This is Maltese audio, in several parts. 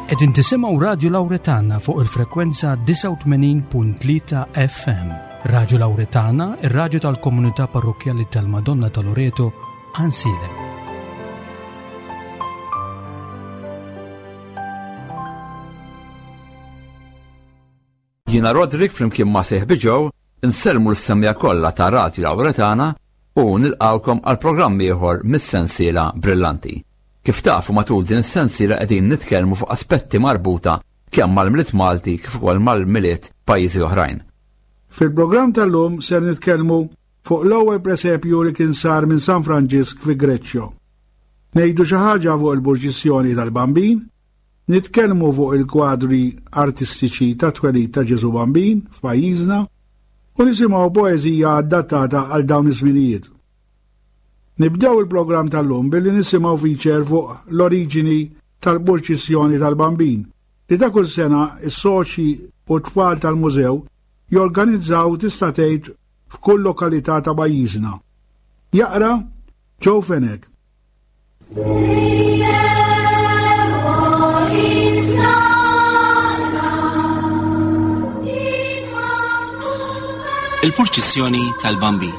Qegħdin tisimgħu Radju Lawretana fuq il-frekwenza 89.3 FM. Radju Lawretana, ir-radju tal-komunità parrokkjali tal-Madonna ta' Loreto, Ansilem. Jiena Roderick flimkien ma' sieħbi Joe insellmu l-semmiegħa kollha ta' Radju Lawretana u nilqgħukom għal programm ieħor mis-sensiela Brillanti. Kif tafu matul din is-sensiela qegħdin nitkellmu fuq aspetti marbuta kemm mal-Milied Malti kif ukoll mal-Milied pajjiżi oħrajn. Fil-programm tal-lum ser nitkellmu fuq l-ewwel presepju li kien sar minn San Franġisk fi Greċċjo. Ngħidu xi ħaġa fuq il-purċissjoni tal-Bambin, Nitkellmu fuq il-kwadri artistiċi tat-twelid ta' Ġesù Bambin f'pajjiżna u nisimgħu poeżija adattata għal dawn iż-żminijiet. Nibdew il-programm tal-lum billi nisimgħu feature fuq l-oriġini tal-purċissjoni tal-Bambin li ta' kull sena s-soċji u t-tfal tal-mużew jorganizzaw tista' tgħid f'kull lokalità ta' pajjiżna. Jaqra Joe Fenech. Il-purċissjoni tal-Bambin.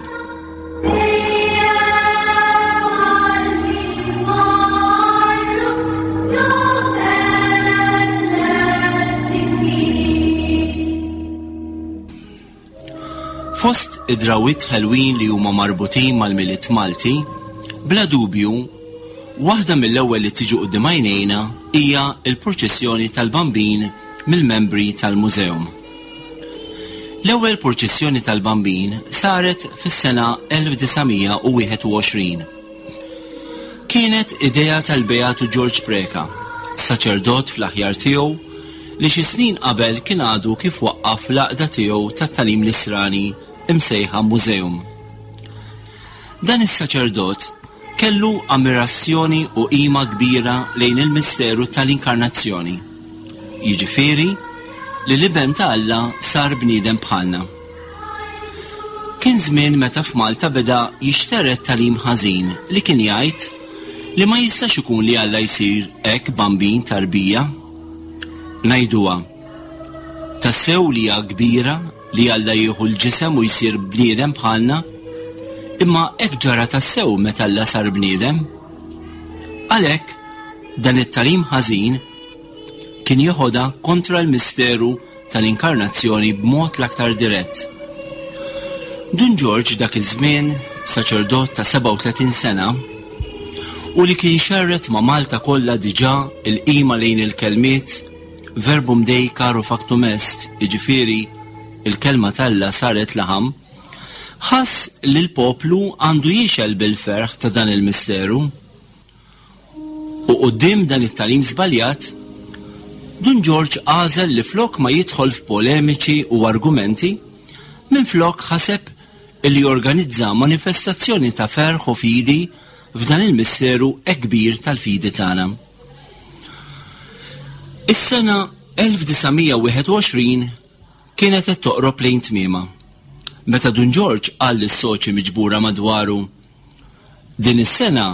Fost id-drawwiet ħelwin li huma marbutin mal-Milied Malti, bla dubju, waħda mill-ewwel li tiġi quddiem għajnejna hija l-purċissjoni tal-Bambin mill-membri tal-Museum. L-ewwel purċissjoni tal-Bambin saret fis-sena 1921. Kienet idea tal-Beatu Ġorġ Preca, saċerdot fl-aħjar tiegħu li xi snin qabel kien għadu kif waqqaf l-għaqda tiegħu tat-tagħlim Nisrani msejħa Museum. Dan is-saċerdot kellu ammirazzjoni u qima kbira lejn il-misteru tal-Inkarnazzjoni, jiġifieri li l-Iben ta' Alla sar bniedem bħalna. Kien żmien meta f'Malta beda jixtered tagħlim ħażin li kien jgħid li ma jistax ikun li Alla jsir hekk bambin tarbija. Ngħiduha, tassew li hija kbira li Alla jieħu l-ġisem u jsir bniedem bħalna, imma hekk ġara tassew meta Alla sar bniedem. Għalhekk, dan it-tagħlim ħażin kien jeħodha kontra l-misteru tal-Inkarnazzjoni b'mod l-aktar dirett. Dun Ġorġ dak iż-żmien, saċerdot ta' 37 sena, u li kien xerred ma' Malta kollha diġà l-qima lejn il-kelmiet Verbum Dei caro factum est, jiġifieri il-Kelma t'Alla saret laħam, ħass li l-poplu għandu jixgħel bil-ferħ ta' dan il-misteru. U quddiem dan it-tagħlim żbaljat, Dun Ġorġ għażel li flok ma jidħol f'polemiċi u argumenti, minflok ħaseb illi jorganizza manifestazzjoni ta' ferħ u fidi f'dan il-misteru hekk kbir tal-fidi tagħna. Is-sena 1921 kienet qed toqrob lejn tmiemha, meta Dun Ġorġ qal lis-soċi miġbura madwaru, Din is-sena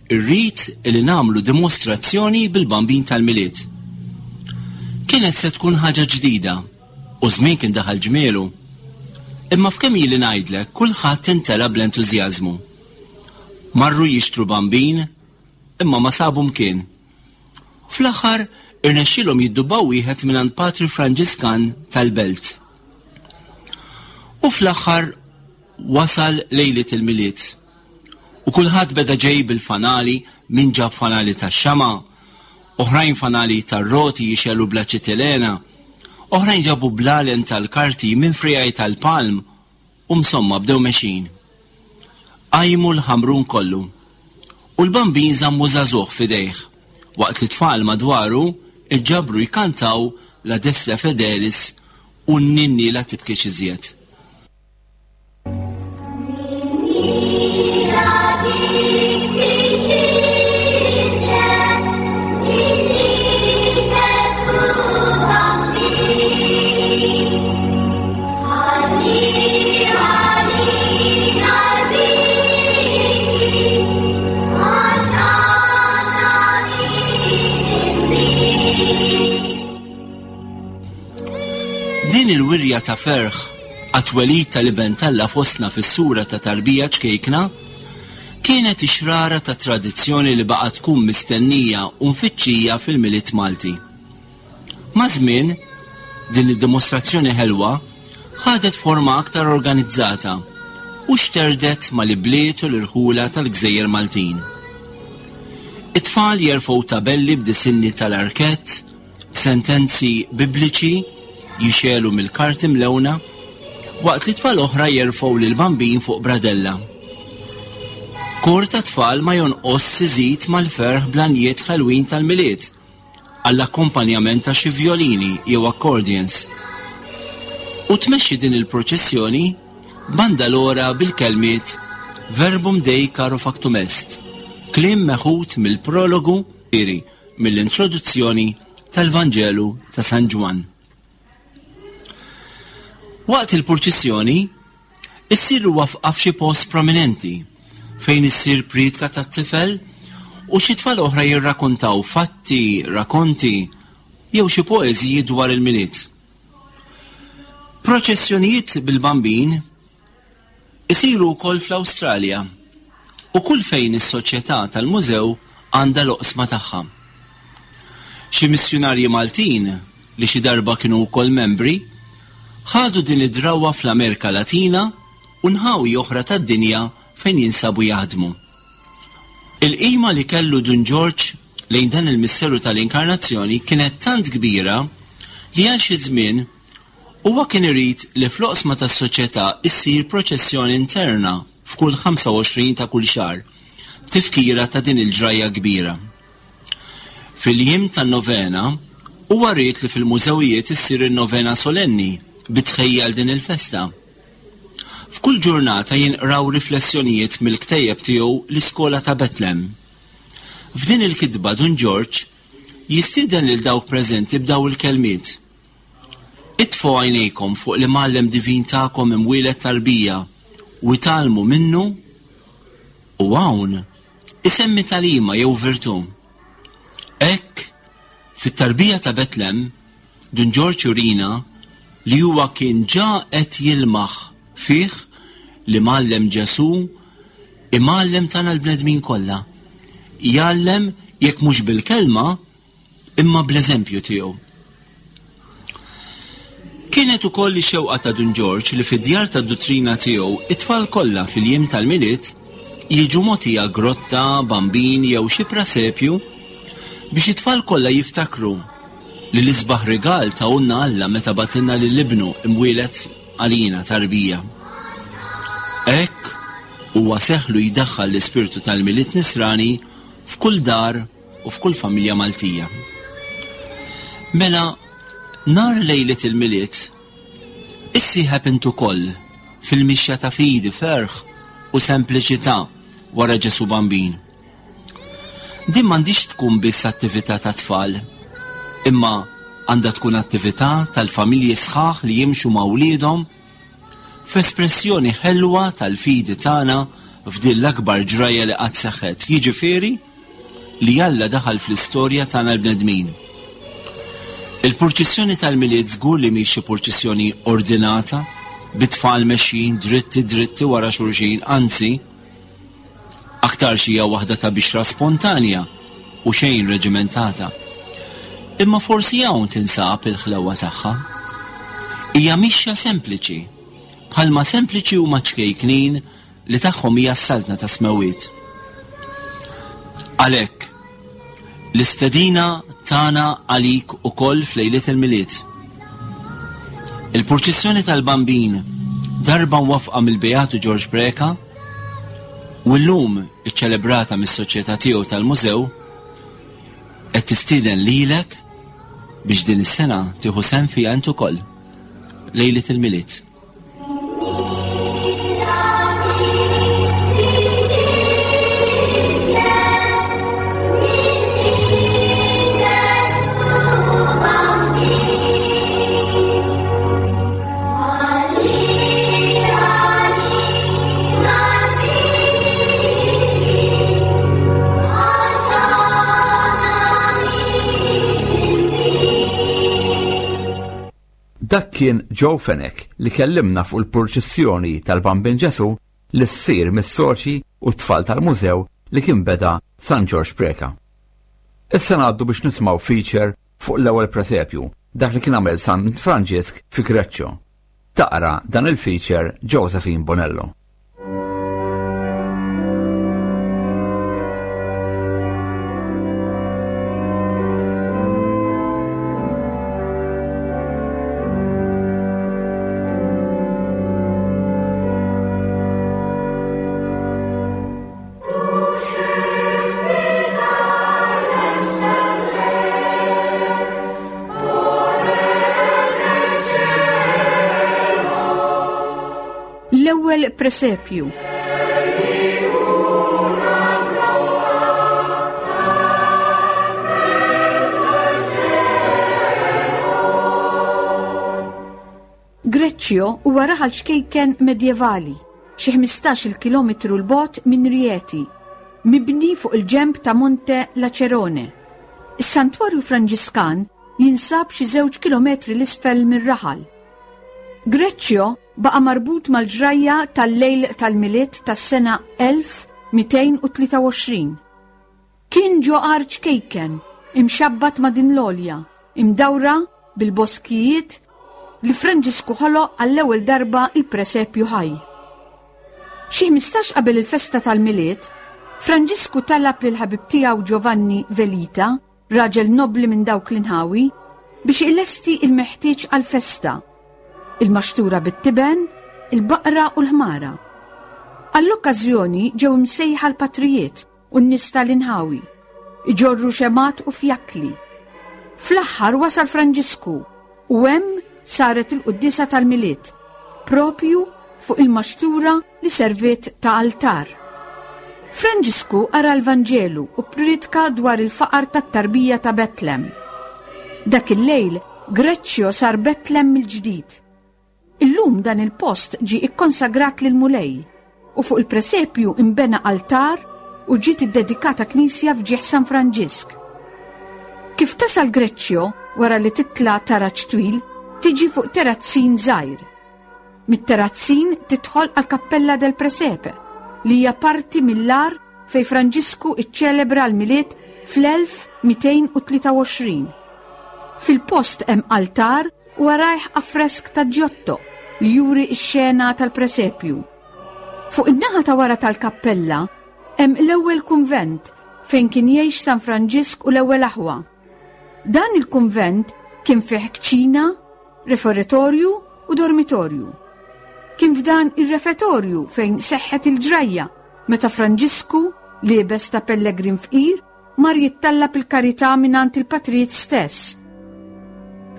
rrid li nagħmlu dimostrazzjoni bil-Bambin tal-Milied. Kienet se tkun ħaġa ġdida u ż-żmien kien daħal ġmielu. Imma f'kemm ili ngħidlek kulħadd imtela bl-entużjażmu. Marru jixtru bambin imma ma sabu mkien. Fl-aħħar irnexxielhom jiddubbaw wieħed mingħand Patri Franġiskan tal-Belt. U fl-aħħar wasal lejliet il-Milied. U kulħadd beda ġej bil-fanali, min ġab fanali tax-xama', oħrajn fanali tar-roti jixegħlu bl-aċitilena, oħrajn ġabu blalen tal-karti minn friegħi tal-palm u msomma bdew mexjin. Qajmu l-Ħamrun kollu. U l-Bambin żammu żagħżugħ f'idejh, waqt li t-tfal madwaru ġġabru jkantaw La Destra Fedelis u n-Ninni La Tibkix Iżjed. Din il-wirja ta' ferħ għat-twelid tal-Iben t'Alla fostna fis-sura ta' tarbija ċkejkna kienet ix-xrara ta' tradizzjoni li baqgħet tkun mistennija u mfittxija fil-Milied Malti. Maż-żmien, din id-dimostrazzjoni ħelwa ħadet forma aktar organizzata u xterdet mal-ibliet u l-irħula tal-gżejjer Maltin. It-tfal jerfgħu tabelli b'disinni tal-arkett, b'sentenzi Bibliċi jixegħlu mill-karti mlewna, waqt li tfal oħra jerfgħu lill-Bambin fuq bradella. Kor ta' tfal ma jonqosx iżid mal-ferħ bl-għanjiet ħelwin tal-Milied, għall-akkompanjament ta' xi vjolini jew accordions. U tmexxi din il-proċessjoni bandalora bil-kelmiet Verbum Dei caro factum est, kliem meħud mill-prologu iri mill-introduzzjoni tal-Vanġelu ta' San Ġwann. Waqt il-purċissjoni, Issir wafqa f'xi post prominenti fejn issir priedka tat-tifel u xi tfal oħra jirrakuntaw fatti, rakonti jew xi poeżiji dwar il-Milied. Proċessjonijiet bil-Bambin isiru wkoll fl-Awstralja u kull fejn is-Soċjetà tal-Mużew għandha l-oqsma tagħha. Xi missjunarji Maltin, li xi darba kienu wkoll membri, ħadu din id-drawwa fl-Amerika Latina u nħawi oħra tad-dinja fejn jinsabu jaħdmu. Il-qima li kellu Dun Ġorġ lejn dan il-misteru tal-Inkarnazzjoni kienet tant kbira li għal xi żmien huwa kien irid li fl-oqsma tas-Soċjetà issir proċessjoni interna f'kull 25 ta' kull xahar b'tifkira ta' din il-ġrajja kbira. Fil-jiem tan-novena, huwa ried li fil-mużewijiet issir in-novena solenni bi tħejjija għal din il-festa. F'kull ġurnata jinqraw riflessjonijiet mill-ktejjeb tiegħu L-Iskola ta' Betlem. F'din il-kitba Dun Ġorġ jistieden lil dawk preżenti b'daw il-kelmiet, Itfgħu għajnejkom fuq l-Imgħallem divin tagħkom imwieled tarbija u itgħallmu minnu u hawn isemmi tagħlima jew virtù. Hekk, fit-tarbija ta' Betlem, Dun Ġorġ jurina li huwa kien ġa qed jilmaħ fih l-Imgħallem Ġesù, Imgħallem tagħna l-bnedmin kollha. Jgħallem jekk mhux bil-kelma, imma bl-eżempju tiegħu. Kienet ukoll ix-xewqa ta' Dun Ġorġ li fid-djar tad-duttrina tiegħu it-tfal kollha fil-jiem tal-Milied jiġu mogħtija grotta, bambin jew xi prasepju biex it-tfal kollha jiftakru li l-isbaħ rigal tahulna Alla meta bagħtilna lil Ibnu imwieled għalina tarbija. Hekk huwa seħħlu jdaħħal l-ispirtu tal-Milied Nisrani f'kull dar u f'kull familja Maltija. Mela, nhar lejliet il-Milied, issieħeb int ukoll fil-mixja ta' fidi, ferħ u sempliċità wara Ġesù Bambin. Din m'għandhiex tkun biss attività ta' tfal, imma għandha tkun attività tal-familji sħaħ li jimxu ma' wliedhom f'espressjoni ħelwa tal-fidi tagħna f'din l-akbar ġrajja li qatt seħħet, jiġifieri li Alla daħal fl-istorja tagħna l-bnedmin. Il-purċissjoni tal-Milied żgur li mhix xi purċissjoni ordinata bi tfal mexjin dritti dritti wara xulxin, anzi, aktarx hija waħda ta' bixra spontanja u xejn reġimentata. Imma forsi hawn tinsab il-ħlewwa tagħha. Hija mixja sempliċi, bħalma sempliċi huma ċ-ċkejknin li tagħhom hija s-Saltna tas-Smewwiet. Għalhekk, l-istedina tagħna għalik ukoll f'lejliet il-Milied. Il-purċissjoni tal-Bambin darba mwaffqa mill-Beatu Ġorġ Preca u llum iċċelebrata mis-Soċjetà tiegħu tal-Mużew qed tistieden lilek biex din is-sena tieħu sehem fiha int ukoll lejliet il-Milied. Dak kien Joe Fenech li kellimna fuq il-purċissjoni tal-Bambin Ġesu li ssir mis-soċi u t-tfal tal-mużew li kien beda San Ġorġ Preca. Issa ngħaddu biex nisimgħu feature fuq l-ewwel presepju, dak li kien għamel San Franġisk fi Greccio. Taqra dan il-feature Josephine Bonello. L-ewwel presepju. Greccio huwa raħal ċkejken medjevali, xi 15-il kilometru 'l bogħod minn Rieti, mibni fuq il-ġenb ta' Monte Lacerone. Is-Santwarju Franġiskan jinsab xi żewġ kilometri 'l isfel mir-raħal. Greccio baqa' marbut mal-ġrajja tal-lejl tal-Milied tas-sena 1223. Kien ġo għar ċkejken, imxabbat ma' din l-għolja, imdawra bil-boskijiet li Franġisku ħoloq għall-ewwel darba il-presepju ħaj. Xi 15 qabel il-festa tal-Milied, Franġisku talab lil ħabib tiegħu Giovanni Velita, raġel nobbli minn dawk l-inħawi, biex ilesti il-meħtieġ għall-festa, il-maxtura bit-tiben, il-baqra u l-ħmara. Għall-okkażjoni ġew imsejħa l-patrijiet u n-nies tal-inħawi, iġorru xemgħat u fjakkli. Fl-aħħar wasal Franġisku u hemm saret il-quddiesa tal-Milied, propju fuq il-maxtura li serviet ta' altar. Franġisku qara l-Vanġelu u ppriedka dwar il-faqar tat-tarbija ta' Betlem. Dak il-lejl Greccio sar Betlem mill-ġdid. Illum dan il-post ġie ikkonsagrat lill-Mulej u fuq il-presepju inbena altar u ġiet iddedikata knisja f'ġieħ San Franġisk. Kif tasal Greccio wara li titla' taraġ twil, tiġi fuq terazzin żgħir. Mit-terazzin tidħol għall-Kappella del Presepe, li hija parti mill-għar fejn Franġisku iċċelebra l-Milied fl-1223. Fil-post hemm altar u warajh affresk ta' Giotto li juri x-xena tal-presepju. Fuq in-naħa ta' wara tal-kappella hemm l-ewwel kunvent fejn kien jgħix San Franġisk u l-ewwel aħwa. Dan il-kunvent kien fih kċina, referitorju u dormitorju. Kien f'dan ir-refetorju fejn seħħet il-ġrajja meta Franġisku, liebes ta' pellegrin fqir, mar jittallab il-karità mingħand il-patrijiet stess.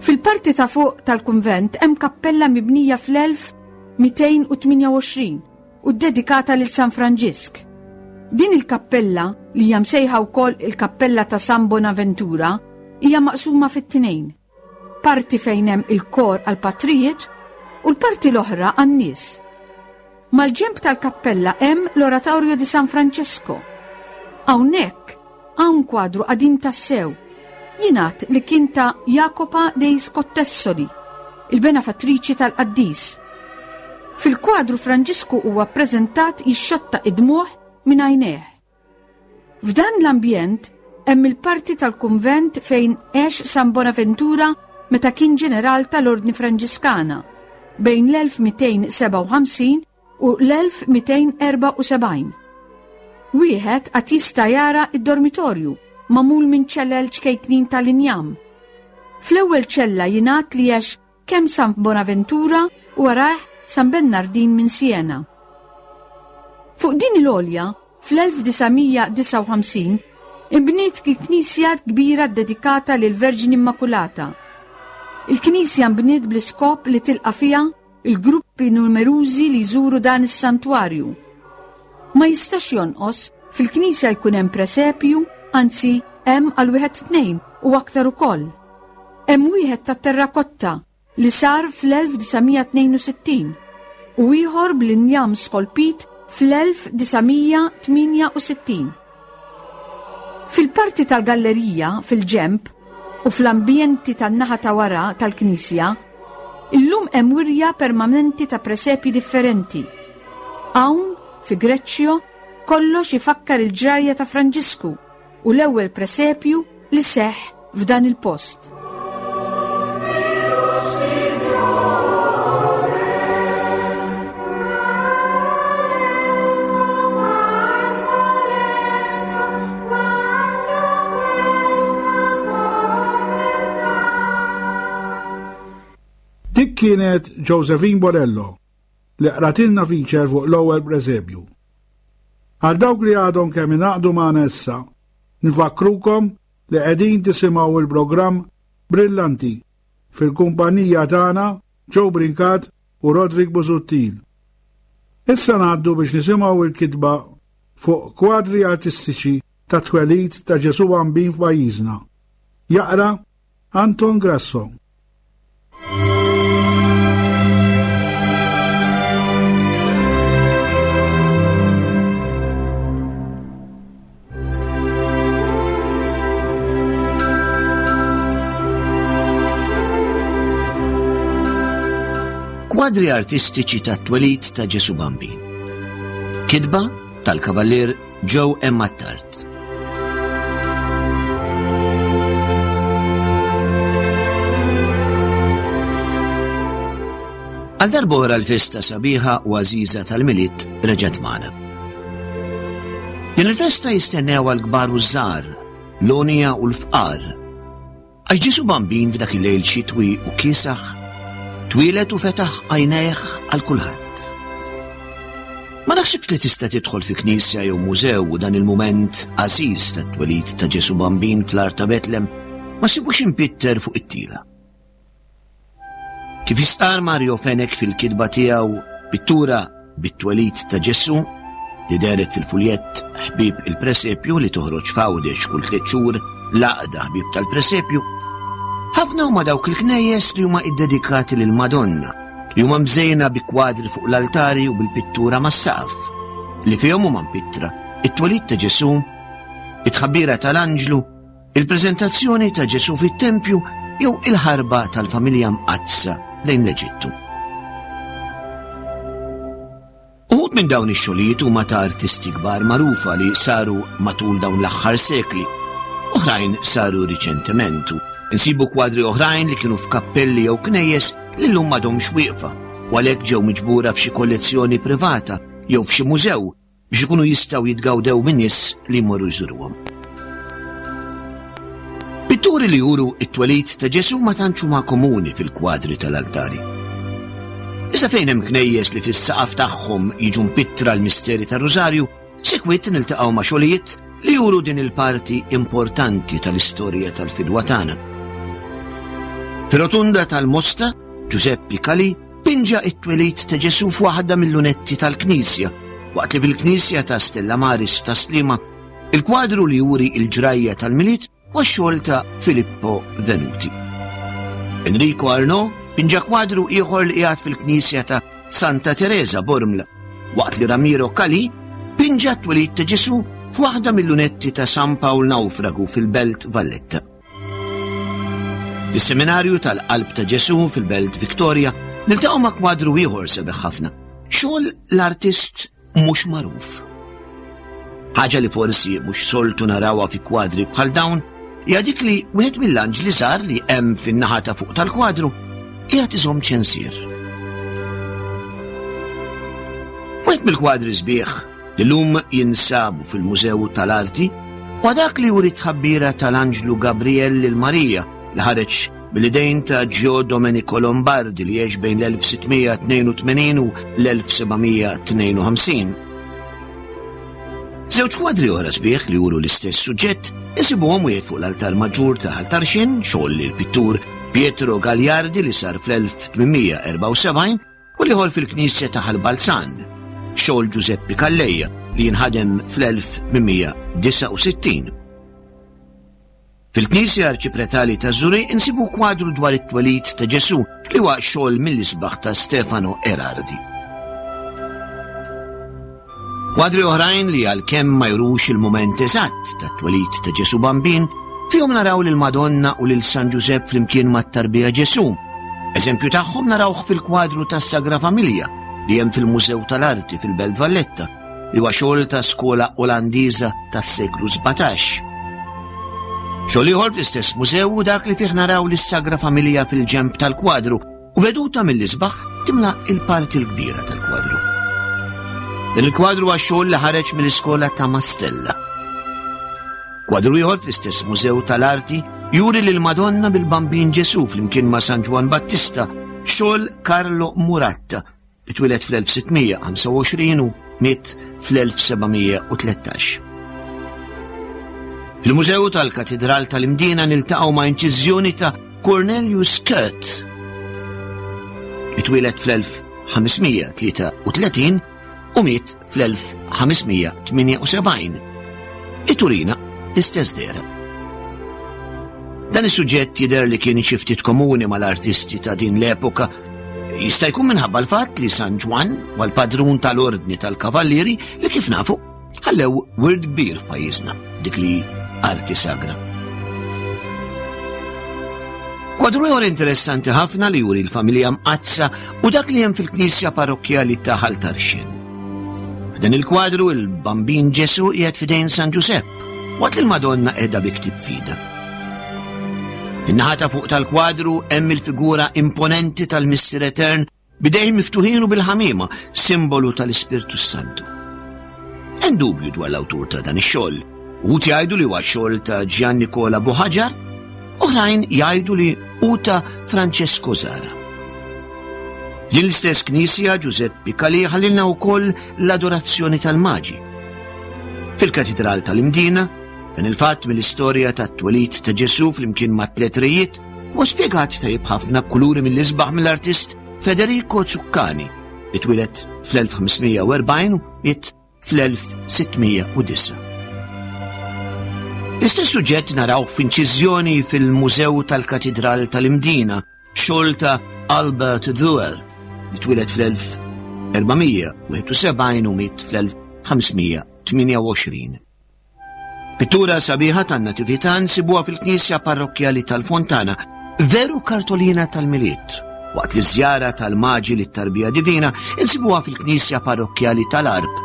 Fil-parti ta' fuq tal-kunvent hemm kappella mibnija fl-1228 u ddedikata lil San Franġisk. Din il-kappella, li hija msejħa wkoll il-Kappella ta' San Bonaventura, hija maqsuma fit-tnejn. Parti fejn hemm il-kor għall-patrijiet u l-parti l-oħra għan-nies. Mal-ġenb tal-kappella hemm l-Oratorio di San Francesco. Hawnhekk hawn kwadru qadim tassew. Jingħad li kien ta' Jacopa dei Scottessoli, il-benefattriċi tal-qaddis. Fil-kwadru Franġisku huwa ppreżentat jixxotta id-dmugħ minn għajnejh. F'dan l-ambjent hemm il-parti tal-kunvent fejn għex San Bonaventura meta kien ġeneral tal-Ordni Franġiskana bejn l-1257 u l-1274. Wieħed għad jista' jara id-dormitorju magħmul minn ċellel ċkejknin tal-injam. Fl-ewwel ċella jingħad li għex kemm San Bonaventura u warajh San Bennardin minn Siena. Fuq din il-għolja, fl-1959, inbniet il-knisja kbira ddedikata lill-Verġni Immakulata. Il-knisja nbniet bl-iskop li tilqa' fiha il-gruppi numerużi li jżuru dan is-santwarju. Ma jistax jonqos fil-knisja jkun hemm presepju, anzi hemm għal wieħed tnejn u aktar ukoll. Hemm wieħed tat-terrakotta li sar fl-1962 u ieħor bl-injam skolpit fl-1968. Fil-parti tal-gallerija fil-ġenb u fl-ambjenti tan-naħa ta' wara tal-knisja. Illum hemm wirja permanenti ta' presepji differenti. Hawn, fi Greccio, kollox ifakkar il-ġrajja ta' Franġisku u l-ewwel presepju li seħħ f'dan il-post. Dik kienet Josephine Borello li qratilna feature fuq l-ewwel presepju. Għal dawk li għadhom kemm ingħaqdu magħna issa, nfakkrukom li qegħdin tisimgħu il-programm Brillanti fil-kumpanija tagħna Joe Brincat u Roderick Busuttil. Issa ngħaddu biex nisimgħu il-kitba fuq kwadri artistiċi ta' twelid ta' Ġesu Bambin f'pajjiżna. Jaqra Anton Grasso. Kwadri artistiċi tat-twelid ta' Ġesu Bambin. Kitba tal-Kavallier Joe M. Attard. Għal darb'oħra l-festa sabiħa u għażiża tal-Milied reġgħet magħna. Din il-festa jistennew għal kbar u żgħar, l-għonja u l-fqar, Għax Ġesù Bambin f'dak il-lejl xitwi u kiesaħ, twieled u fetaħ għajnejh għal kulħadd. Ma naħsibx li tista' tidħol fi knisja jew mużew u dan il-mument għażiż tat-twelid ta' Ġesù Bambin fl-għar ta' Betlem ma ssibux impitter fuq it-tila. Kif jistqarr Mario Fenech fil-kitba tiegħu Pittura bit-twelid ta' Ġesù, li dehret fil-fuljett Ħbieb il-Presepju li toħroġ f'Għawdex kull tliet xhur l-Għaqda Ħbieb tal-Presepju, ħafna huma dawk il-knejjes li huma iddedikati lill-Madonna, li huma mżejna bi kwadri fuq l-altari u bil-pittura mas-saqaf, li fihom huma mpittra it-twelid ta' Ġesù, it-tħabbira tal-anġlu, Il-preżentazzjoni ta' Ġesù fit-tempju jew il-ħarba tal-familja mqaddsa lejn l-Eġittu. Uħud minn dawn ix-xogħlijiet huma ta' artisti kbar magħrufa li saru matul dawn l-aħħar sekli. Oħrajn saru riċentement u nsibu kwadri oħrajn li kienu f'kappelli jew knejjes li llum m'għadhomx wieqfa u għalhekk ġew miġbura f'xi kollezzjoni privata jew f'xi mużew biex ikunu jistgħu jitgawdew minn nies li jmorru jżuruhom. Pitturi li juru it-twelid ta' Ġesu ma tantx huma komuni fil-kwadri tal-altari. Iżda fejn hemm knejjes li fis-saqaf tagħhom jiġu mpittra l-misteri tar-Rużarju, sikwit niltaqgħu ma' xogħlijiet li juru din il-parti importanti tal-istorja tal-fidwa tagħna. Fir-rotunda tal-Mosta, Giuseppe Cali Pinġa t-twelid ta' Ġesù f'waħda mil-lunetti tal-knisja, waqt li fil-knisja ta' Stella Maris f'Tas-Sliema, il-kwadru li juri l-ġrajja tal-Milied huwa x-xogħol ta' Filippo Venuti. Enrico Arnaud pinġa kwadru ieħor li qiegħed fil-knisja ta' Santa Teresa Bormla, waqt li Ramiro Calì pinġa t-twelid ta' Ġesù f'waħda mil-lunetti ta' San Pawl Nawfragu fil-Belt Valletta. Fis-Seminarju tal-Qalb ta' Ġesù fil-Belt Victoria niltaqgħu ma' kwadru ieħor sabiħ ħafna. Xogħol l-artist mhux magħruf. Ħaġa li forsi mhux soltu narawha fi kwadri bħal dawn hija dik li wieħed mill-anġli żgħar li hemm fin-naħa ta' fuq tal-kwadru qiegħed iżomm ċensier. Wieħed mill-kwadri sbieħ li llum jinsabu fil-Mużew tal-Arti, huwa dak li juri t-tħabbira tal-Anġlu Gabriel lil Marija li ħareġ mill-idejn ta' Gio Domenico Lombardi li għex bejn l-1682 u l-1752. Żewġ kwadri oħra sbieħ li juru l-istess suġġett insibuhom wieħed fuq l-altar maġġur ta' Ħal Tarxien, xogħol il-pittur Pietro Gagliardi li sar fl-1874 u l-ieħor fil-knisja ta' Ħal Balzan, xogħol Ġużeppi Calleja li jinħadem fl-1869. Fil-Knisja Arċipretali ta' Żurrieq insibu kwadru dwar it-twelid ta' Ġesù li huwa xogħol mill-isbaħ ta' Stefano Erardi. Kwadri oħrajn li għalkemm ma jurux il-mument eżatt tat-twelid ta' Ġesù Bambin, fihom naraw lil Madonna u lil San Ġużepp flimkien mat-tarbija Ġesù. Eżempju tagħhom narawh fil-kwadru tas-Sagra Familja li hemm fil-Mużew tal-Arti fil-Belt Valletta, li huwa xogħol ta' skola Olandiża tas-seklu 17. Xogħol ieħor fl-istess mużew hu dak li fih naraw lis-Sagra Familja fil-ġenb tal-kwadru u veduta mill-isbaħ timla il-parti l-kbira tal-kwadru. Dan il-kwadru huwa xogħol li ħareġ mill-iskola ta' Mastella. Kwadru ieħor fl-istess Mużew tal-Arti juri lil Madonna bil-Bambin Ġesu flimkien ma' San Ġwann Battista, xogħol Carlo Muratta li twieled fl-1625 u miet fl-1713. Fil-Mużew tal-Katidral tal-Imdina niltaqgħu ma' inċiżjoni ta' Cornelius Kurt li twieled fl-1533 u miet fl-1578 li turina l-istess dehra. Dan is-suġġett jidher li kien xi ftit komuni mal-artisti ta' din l-epoka. Jista' jkun minħabba l-fatt li San Ġwann huwa l-padrun tal-Ordni tal-Kavallieri li kif nafu ħallew wirt kbir f'pajjiżna, dik li arti sagra. Kwadru ieħor interessanti ħafna li juri l-familja mqaddsa u dak li hemm fil-knisja parrokkjali ta' Ħal Tarxien. F'dan il-kwadru il-Bambin Ġesu qiegħed f'idejn San Ġusepp, waqt li l-Madonna qiegħda bi ktieb f'idha. Fin-naħa ta' fuq tal-kwadru hemm il-figura imponenti tal-Missier Etern B'idejh miftuħin u bil-ħamiema, simbolu tal-Ispirtu s-Santu. Hemm dubju dwar l-awtur ta' dan ix-xogħol. Uħud jgħidu li huwa xogħol ta' Gian Nicola Buħaġar, oħrajn jgħidu li hu ta' Francesco Zara. Din l-istess knisja Giuseppe Calì ħallilna wkoll l-adorazzjoni tal-Maġi. Fil-Katidral tal-Imdina, dan il-fatt mill-istorja tat-twelid ta' Ġesù flimkien ma' tliet rejiet Huwa spjegat tajjeb ħafna b'kuluri mill-isbaħ mill-artist Federico Zuccani li twieled fl-1540 u miet fl-1609. L-istess suġġett naraw f'inċiżjoni fil-Mużew tal-Katidral tal-Imdina, xogħol ta' Albert Duer, li twieled fl-1471 u miet fl-1528. Pittura sabiħa tan-Natività nsibuha fil-Knisja Parrokkjali tal-Fontana, veru kartolina tal-Milied, waqt li żjara tal-Maġi lit-Tarbija Divina insibuha fil-Knisja Parrokkjali tal-Għarb,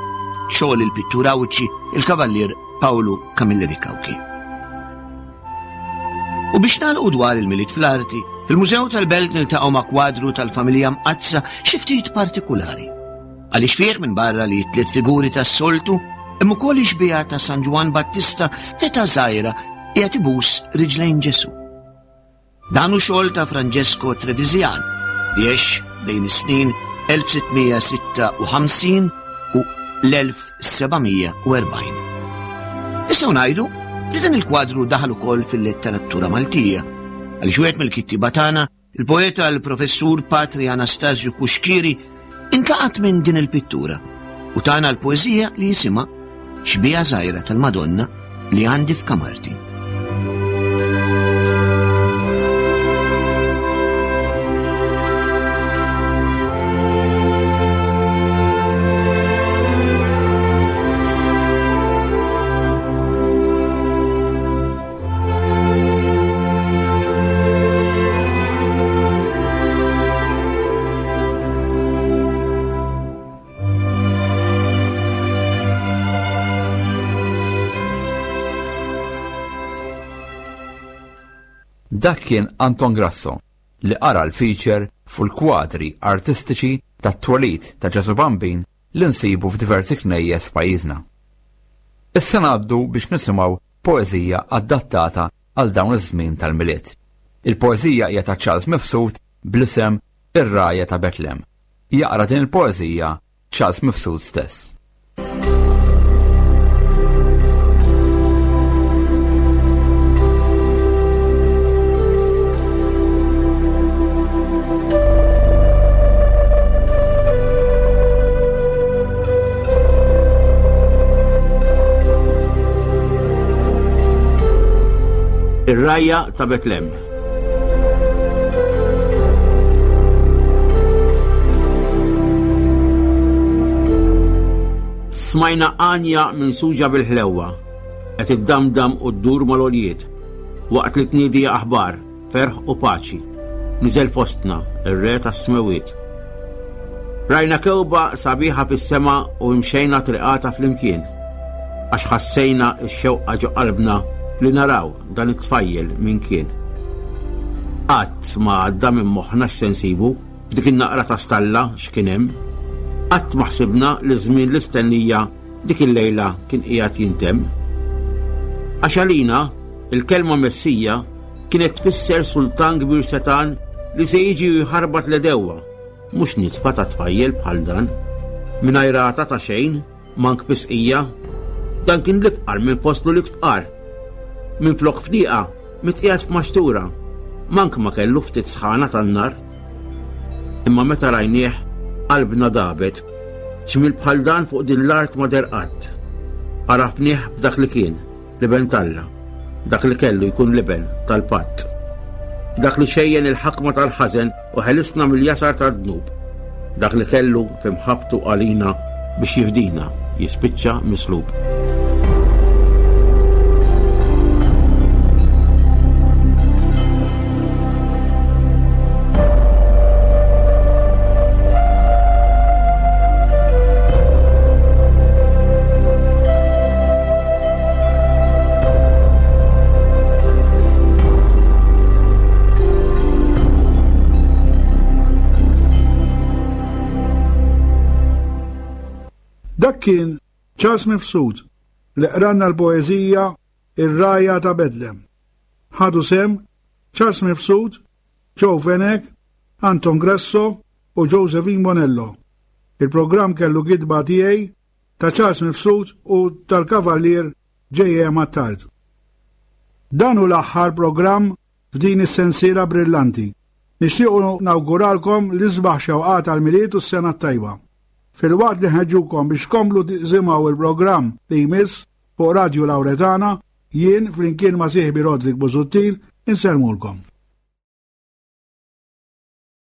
xogħol il-pittur Għawdxi il-Kavallier Pawlu Camilleri Cauchi. U biex nagħlqu dwar il-Milied fl-arti, fil-Mużew tal-Belt niltaqgħu ma' kwadru tal-familja mqaddsa xi ftit partikulari. Għaliex fih minbarra li t-tliet figuri tas-soltu, hemm ukoll ix-xbieha ta' San Ġwann Battista f'età żgħira qiegħed ibus riġlejn Ġesù. Dan hu xogħol ta' Francesco Trevisan li għex bejn is-snin 1656 u l-1740. Nistgħu ngħidu li dan il-kwadru daħal ukoll fil-letteratura Maltija għaliex wieħed mill-kittieba tagħna Il-poeta l-Professur Patri Anastasju Cuschieri intlaqat minn din il-pittura u tana l-poeżija li jisimha Xbieha żgħira tal-Madonna li għandi f'kamarti. Dak kien Anton Grasso li qara l-feature fuq il-kwadri artistiċi tat-twelid ta' Ġesù Bambin li nsibu f'diversi knejjes f'pajjiżna. Issa ngħaddu biex nisimgħu poeżija adattata għal dawn iż-żmien tal-Milied. Il-poeżija hija ta' Charles Mifsud bl-isem Ir-Rgħajja ta' Betlem. Jaqra din il-poeżija Charles Mifsud stess. Ir-rgħajja ta' Betlem. Smajna għanja minn suġa bil-ħlewwa, qed iddamdam u ddur mal-għoljiet, waqt li tniedi aħbar, ferħ u paċi. Niżel fostna ir-Re tas-Smewwiet. Rajna kewba sabiħa fis-sema u imxejna triqata flimkien, għax ħassejna x-xewqa ġo qalbna li naraw dan it-tfajjel min kien. Qatt ma għadda minn moħħna x'se nsibu f'dik in-naqra ta' stalla x'kien hemm. Qatt ma ħsibna li żmien l-istennija dik il-lejla kien qiegħed jintemm. Għax għalina, il-kelma Messija kienet tfisser sultan kbir setgħan li se jiġi u jħarbat l-għedewwa, mhux nitfa ta' tfajjel bħal dan, mingħajr għata ta' xejn, mank pisqija. Dan kien l-ifqar minn fost l-ulied fqar. Minflok fdieqa, mitqiegħed f'maxtura, mank ma kellu ftit sħana tan-nar. Imma meta rajnieh, qalbna dabet. Ġmiel bħal dan fuq din l-art ma deher qatt. Għarafnieh b'dak li kien. L-Iben t'Alla, dak li kellu jkun l-Iben tal-Patt, dak li xejjen il-ħakma tal-ħażen u ħelisna mill-jasar tad-dnub, dak li kellu fi mħabbtu għalina biex jifdina jispiċċa mislub. Dak kien Charles Mifsud li qranna l-poeżija Ir-Rgħajja ta' Bedlem. Ħadu sehem Charles Mifsud, Joe Fenech, Anton Grasso u Josephine Bonello. Il-programm kellu gidba tiegħi ta' Charles Mifsud u tal-Kavallier J.M. Attard. Dan hu l-aħħar programm f'din is-sensiela brillanti. Nixtiequ nawguralkom l-isbaħ xewqat għall-Milied u s-Sena t-Tajba. Filwaqt li nħeġġukom biex tkomplu tisimgħu il-programm li jmiss fuq Radju Lawretana, jien flimkien ma' sieħbi Roderick Busuttil insellmulkom.